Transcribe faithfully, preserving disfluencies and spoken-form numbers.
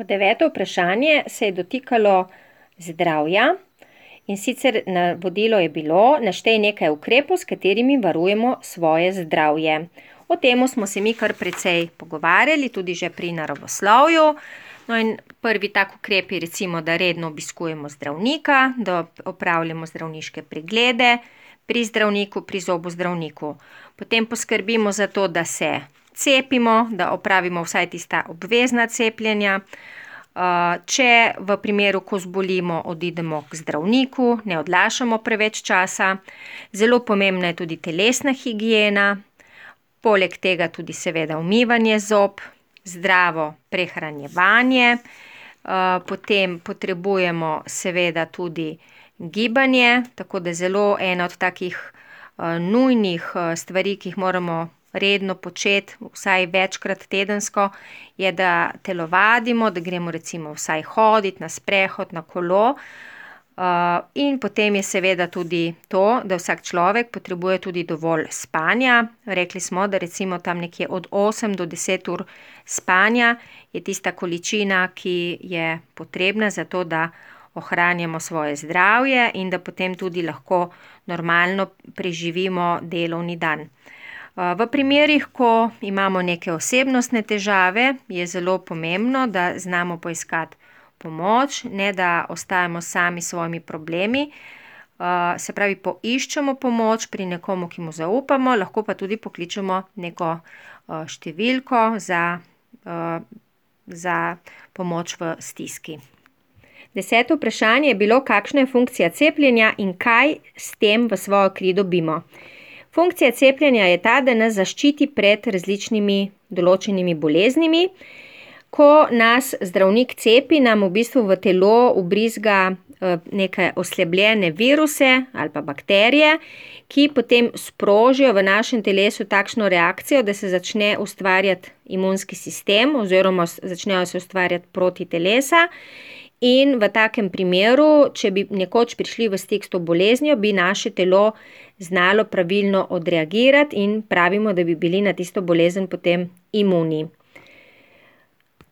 Deveto vprašanje se je dotikalo zdravja, in sicer navodilo je bilo: naštej nekaj ukrepov, s katerimi varujemo svoje zdravje. O tem smo se mi kar precej pogovarjali, tudi že pri naravoslovju. No, in prvi tak ukrep je recimo, da redno obiskujemo zdravnika, da opravljamo zdravniške preglede pri zdravniku, pri zobozdravniku. Potem poskrbimo za to, da se cepimo, da opravimo vsaj tista obvezna cepljenja. Če v primeru, ko zbolimo, odidemo k zdravniku, ne odlašamo preveč časa. Zelo pomembna je tudi telesna higiena, poleg tega tudi seveda umivanje zob, zdravo prehranjevanje. Potem potrebujemo seveda tudi gibanje, tako da zelo ena od takih nujnih stvari, ki jih moramo redno početi, vsaj večkrat tedensko, je, da telovadimo, da gremo recimo vsaj hoditi na sprehod, na kolo. In potem je seveda tudi to, da vsak človek potrebuje tudi dovolj spanja. Rekli smo, da recimo tam nekje od osem do deset ur spanja je tista količina, ki je potrebna za to, da ohranjamo svoje zdravje in da potem tudi lahko normalno preživimo delovni dan. V primerih, ko imamo neke osebnostne težave, je zelo pomembno, da znamo poiskati pomoč, ne da ostajamo sami s svojimi problemi. Se pravi, poiščemo pomoč pri nekomu, ki mu zaupamo, lahko pa tudi pokličemo neko številko za, za pomoč v stiski. Deseto vprašanje je bilo: kakšna je funkcija cepljenja in kaj s tem v svojo kri dobimo? Funkcija cepljenja je ta, da nas zaščiti pred različnimi določenimi boleznimi. Ko nas zdravnik cepi, nam v bistvu v telo vbrizga neke oslabljene viruse ali pa bakterije, ki potem sprožijo v našem telesu takšno reakcijo, da se začne ustvarjati imunski sistem oziroma začnejo se ustvarjati protitelesa. In v takem primeru, če bi nekoč prišli v stik s to boleznijo, bi naše telo znalo pravilno odreagirati in pravimo, da bi bili na tisto bolezen potem imuni.